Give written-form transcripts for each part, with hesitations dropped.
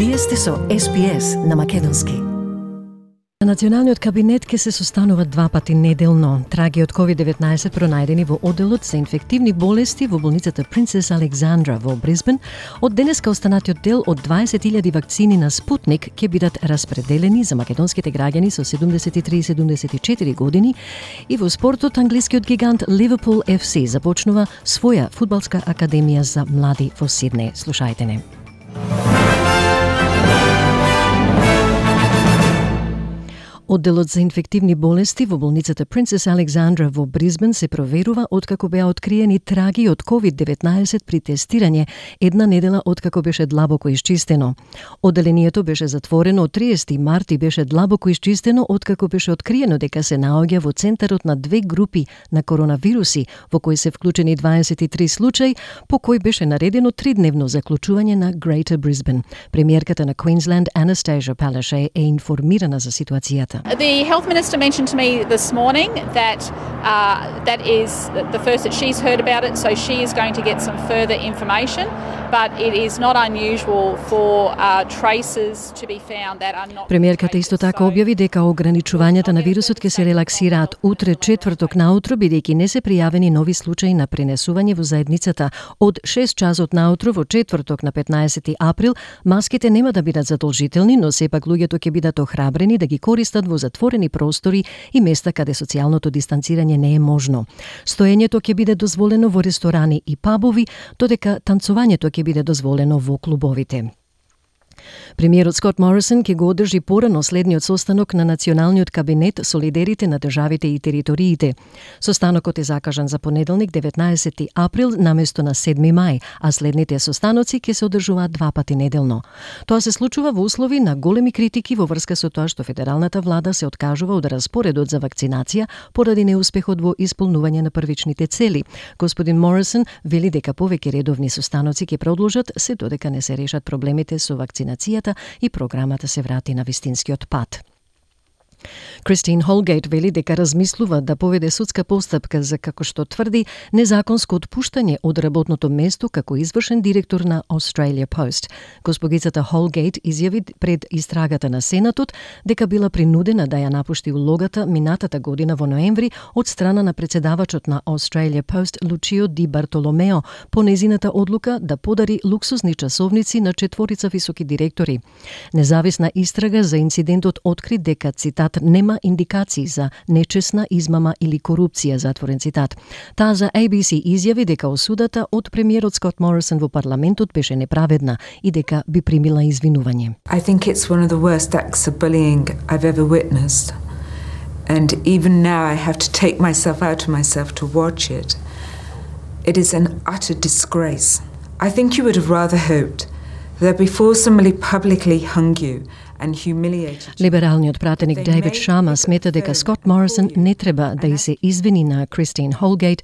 Вие сте со SPS на македонски. Националниот кабинет ќе се состанува 2 пати неделно. Траги од COVID-19 пронајдени во одделот за инфективни болести во болницата Принцес Александра во Брисбен, од денеска останатиот дел од 20.000 вакцини на Спутник ќе бидат распределени за македонските граѓани со 73 и 74 години и во спортот англискиот гигант Ливерпул FC започнува своја фудбалска академија за млади во Сиднеј. Слушајте не. Одделот за инфективни болести во болницата Принцес Александра во Брисбен се проверува откако беа откриени траги од COVID-19 при тестирање една недела откако беше длабоко исчистено. Одделението беше затворено од 30 март и беше длабоко исчистено откако беше откриено дека се наоѓа во центарот на 2 групи на коронавируси, во кои се вклучени 23 случаи, по кој беше наредено 3-дневно заклучување на Greater Brisbane. Премиерката на Queensland, Anastasia Palaszczuk, е информирана за ситуацијата. The health minister mentioned to me this morning that that is the first that she's heard about it, so she is going to get some further information, but it is not unusual for traces to be found that are not. Премиерката исто така објави дека ограничувањата на вирусот ќе се релаксираат утре четврток наутро, бидејќи не се пријавени нови случаи на пренесување во заедницата. Од 6 часот наутро во четврток на 15 април маските нема да бидат задолжителни, но сепак луѓето ќе бидат охрабрени да ги користат во затворени простори и места каде социјалното дистанцирање не е можно. Стоењето ќе биде дозволено во ресторани и пабови, додека танцувањето ќе биде дозволено во клубовите. Премиерот Скот Морисон ќе го одржи порано следниот состанок на Националниот кабинет со лидерите на државите и териториите. Состанокот е закажан за понеделник 19 април наместо на 7 мај, а следните состаноци ќе се одржуваат 2 пати неделно. Тоа се случува во услови на големи критики во врска со тоа што федералната влада се откажува од распоредот за вакцинација поради неуспехот во исполнување на првичните цели. Господин Морисон вели дека повеќе редовни состаноци ќе продолжат се додека не се решат проблемите со вакцинацијата и програмата се врати на вистинскиот пат. Кристин Холгейт вели дека размислува да поведе судска постапка за, како што тврди, незаконско отпуштање од работното место како извршен директор на Australia Post. Госпогицата Холгейт изјави пред истрагата на Сенатот дека била принудена да ја напушти улогата минатата година во ноември од страна на председавачот на Australia Post Лучио Ди Бартоломео по незината одлука да подари луксузни часовници на 4 високи директори. Независна истрага за инцидентот откри дека, цитат, нема индикации за нечесна измама или корупција, затворен цитат. Таа за ABC изјави дека осудата од премиерот Скот Морисон во парламентот беше неправедна и дека би примила извинување. I think it's one of the worst acts of bullying I've ever witnessed. And even now I have to take myself out of myself to watch it. It is an utter disgrace. I think you would have rather hoped that before somebody publicly hung you and humiliated you. Либералниот пратеник Дейвид Шама смета дека Скот Морисон не треба да се извини на Кристин Холгейт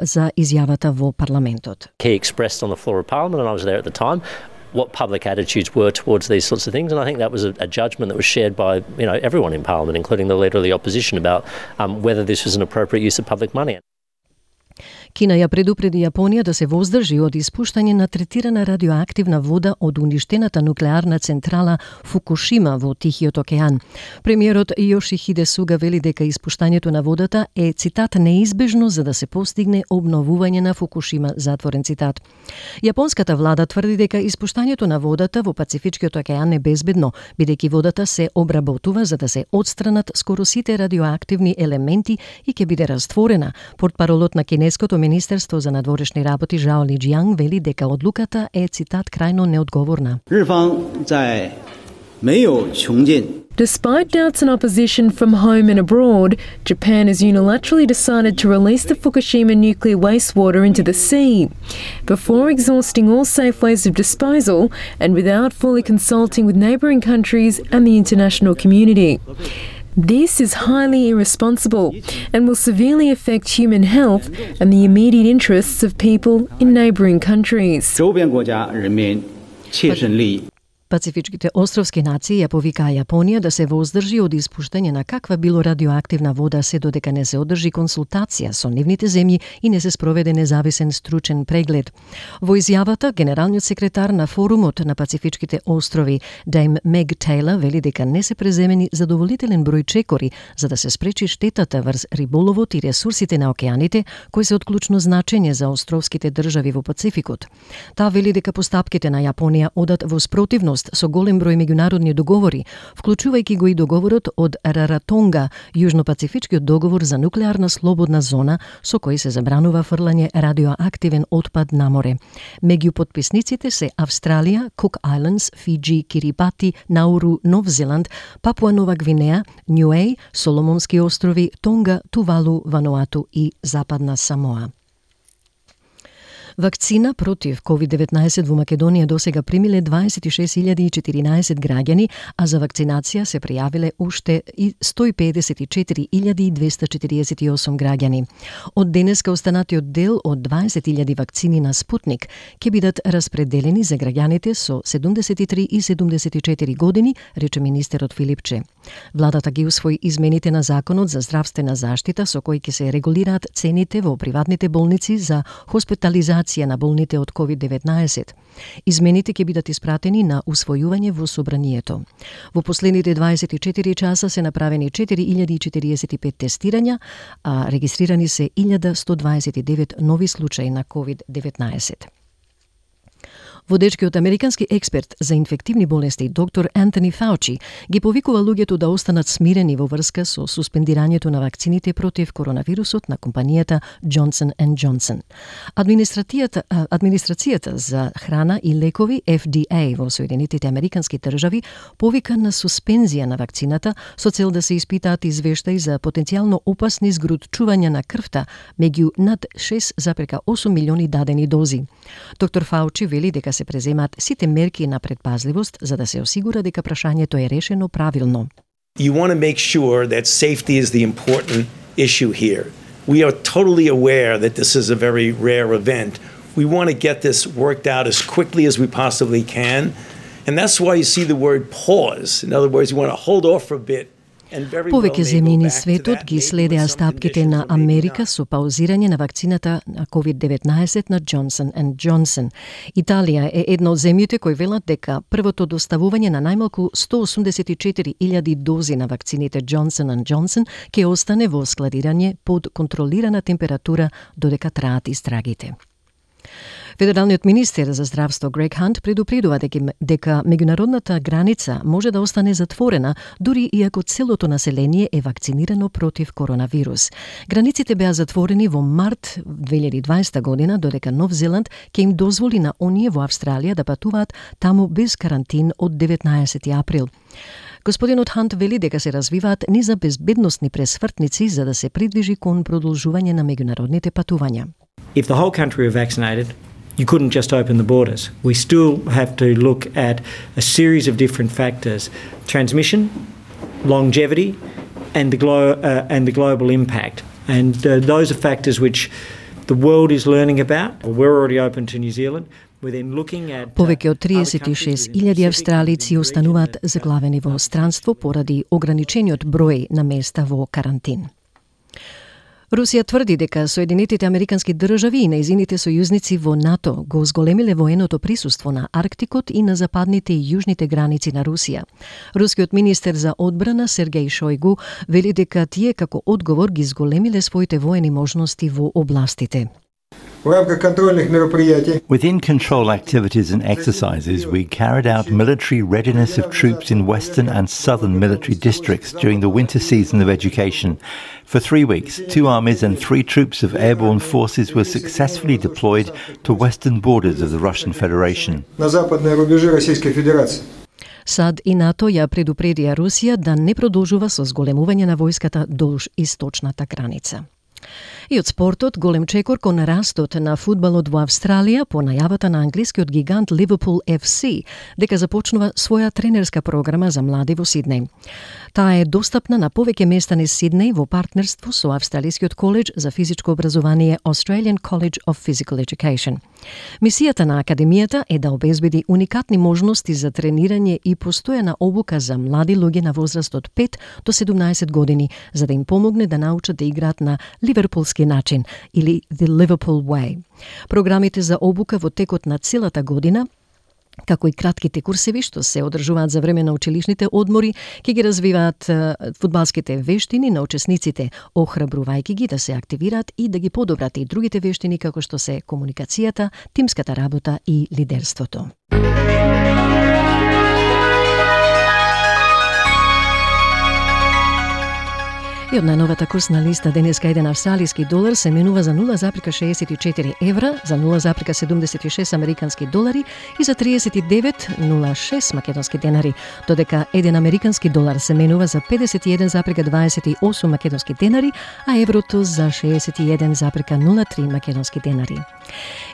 за изјавата во парламентот. He expressed on the floor of Parliament, and I was there at the time, what public attitudes were towards these sorts of things, and I think that was a judgment that was shared by everyone in Parliament, including the leader of the opposition, about whether this was an appropriate use of public money. Кина ја предупреди Јапонија да се воздржи од испуштање на третирана радиоактивна вода од уништената нуклеарна централа Фукушима во Тихиот океан. Премиерот Йошихиде Суга вели дека испуштањето на водата е, цитат, неизбежно за да се постигне обновување на Фукушима, затворен цитат. Јапонската влада тврди дека испуштањето на водата во Пацифичкиот океан е безбедно, бидејќи водата се обработува за да се отстранат скоро сите радиоактивни елементи и ќе биде растворена. Портпаролот на кинеското Министерство за надворешни работи Жао Лиџијанг вели дека одлуката е, цитат, крајно неодговорна. Despite doubts and opposition from home and abroad, Japan has unilaterally decided to release the Fukushima nuclear wastewater into the sea, before exhausting all safe ways of disposal and without fully consulting with neighbouring countries and the international community. This is highly irresponsible and will severely affect human health and the immediate interests of people in neighbouring countries. Пацифичките островски нации ја повикаа Јапонија да се воздржи од испуштање на каква било радиоактивна вода се додека не се одржи консултација со нивните земји и не се спроведе независен стручен преглед. Во изјавата, генералниот секретар на форумот на Пацифичките острови, Дейм Мег Тейлор, вели дека не се преземени задоволителен број чекори за да се спречи штетата врз риболовот и ресурсите на океаните, кои се од клучно значење за островските држави во Пацификот. Таа вели дека постапките на Јапонија одат во спротивност со голем број меѓународни договори, вклучувајќи го и договорот од Раратонга, Јужно-пацифичкиот договор за нуклеарна слободна зона, со кој се забранува фрлање радиоактивен отпад на море. Меѓу потписниците се Австралија, Кук Айлендс, Фиџи, Кирибати, Науру, Нов Зеланд, Папуа Нова Гвинеја, Њуеј, Соломонски острови, Тонга, Тувалу, Вануату и Западна Самоа. Вакцина против COVID-19 во Македонија досега примиле 26.014 граѓани, а за вакцинација се пријавиле уште 154.248 граѓани. Од денеска останатиот дел од 20.000 вакцини на Спутник ќе бидат распределени за граѓаните со 73 и 74 години, рече министерот Филипче. Владата ги усвои измените на Законот за здравствена заштита со кои ќе се регулираат цените во приватните болници за хоспитализација на болните од COVID-19. Измените ќе бидат испратени на усвојување во собранието. Во последните 24 часа се направени 4045 тестирања, а регистрирани се 1129 нови случаи на COVID-19. Водечкиот американски експерт за инфективни болести доктор Антони Фаучи ги повикува луѓето да останат смирени во врска со суспендирањето на вакцините против коронавирусот на компанијата Johnson & Johnson. Администрацијата за храна и лекови FDA во Соединетите американски држави повика на суспензија на вакцината со цел да се испитаат извештаи за потенцијално опасни згрутчувања на крвта меѓу над 6,8 милиони дадени дози. Доктор Фаучи вели дека се преземаат сите мерки на предпазливост за да се осигура дека прашањето е решено правилно. You want to make sure that safety is the important issue here. We are totally aware that this is a very rare event. We want to get this worked out as quickly as we possibly can. And that's why you see the word pause. In other words, you want to hold off for a bit. Повеќе земји низ светот ги следеа стапките на Америка со паузирање на вакцината на COVID-19 на Johnson & Johnson. Италија е една од земјите кои велат дека првото доставување на најмалку 184.000 дози на вакцините Johnson & Johnson ќе остане во складирање под контролирана температура додека траат истрагите. Федералниот министер за здравство Грег Хант предупредува дека меѓународната граница може да остане затворена дури и ако целото население е вакцинирано против коронавирус. Границите беа затворени во март 2020 година, додека Нов Зеланд ќе им дозволи на оние во Австралија да патуваат таму без карантин од 19 април. Господинот Хант вели дека се развиваат низа безбедносни пресвртници за да се придвижи кон продолжување на меѓународните патувања. If the whole country were vaccinated, you couldn't just open the borders. We still have to look at a series of different factors: transmission, longevity, and the global impact. And those are factors which the world is learning about. We're already open to New Zealand. Повеќе од 36.000 австралици остануваат заглавени во странство поради ограничениот број на места во карантин. Русија тврди дека Соединетите американски држави и нејзините сојузници во НАТО го зголемиле военото присуство на Арктикот и на западните и јужните граници на Русија. Рускиот министер за одбрана Сергеј Шојгу вели дека тие како одговор ги зголемиле своите воени можности во областите. Within control activities and exercises, we carried out military readiness of troops in western and southern military districts during the winter season of education. For 3 weeks, 2 armies and 3 troops of airborne forces were successfully deployed to western borders of the Russian Federation. САД и НАТО ја предупредија Русија да не продолжува со зголемување на војската долж источната граница. И од спортот, голем чекор кон растот на фудбалот во Австралија по најавата на англискиот гигант Liverpool FC дека започнува своја тренерска програма за млади во Сиднеј. Таа е достапна на повеќе места низ Сиднеј во партнерство со Австралискиот коледж за физичко образование Australian College of Physical Education. Мисијата на Академијата е да обезбеди уникатни можности за тренирање и постојана обука за млади луѓе на возраст од 5 до 17 години, за да им помогне да научат да играат на ливерпулски начин или The Liverpool Way. Програмите за обука во текот на целата година, како и кратките курсеви што се одржуваат за време на училишните одмори, ќе ги развиваат фудбалските вештини на учесниците, охрабрувајќи ги да се активираат и да ги подобрат и другите вештини како што се комуникацијата, тимската работа и лидерството. И од најновата курсна листа денеска еден австралиски долар се менува за 0,64 евра, за 0,76 американски долари и за 39,06 македонски денари, додека еден американски долар се менува за 51,28 македонски денари, а еврото за 61,03 македонски денари.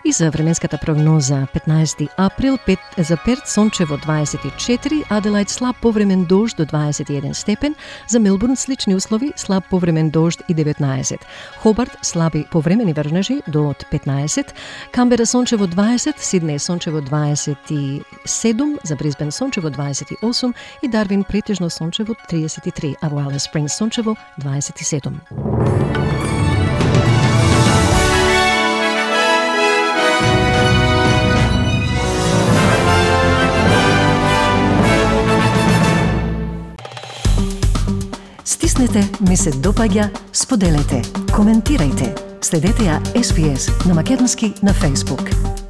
И за временската прогноза 15 април за Перт сончево 24, Аделајд слаб повремен дожд до 21 степен, за Мелбурн слични услови, слаб повремен дожд и 19. Хобарт слаби повремени врнежи до 15. Камбера сончево 20, Сиднеј сончево 27, за Брисбен сончево 28 и Дарвин претежно сончево 33, а во Алис Спрингс сончево 27. Стиснете, ми се допаѓа, споделете, коментирајте. Следете ја SPS на македонски на Facebook.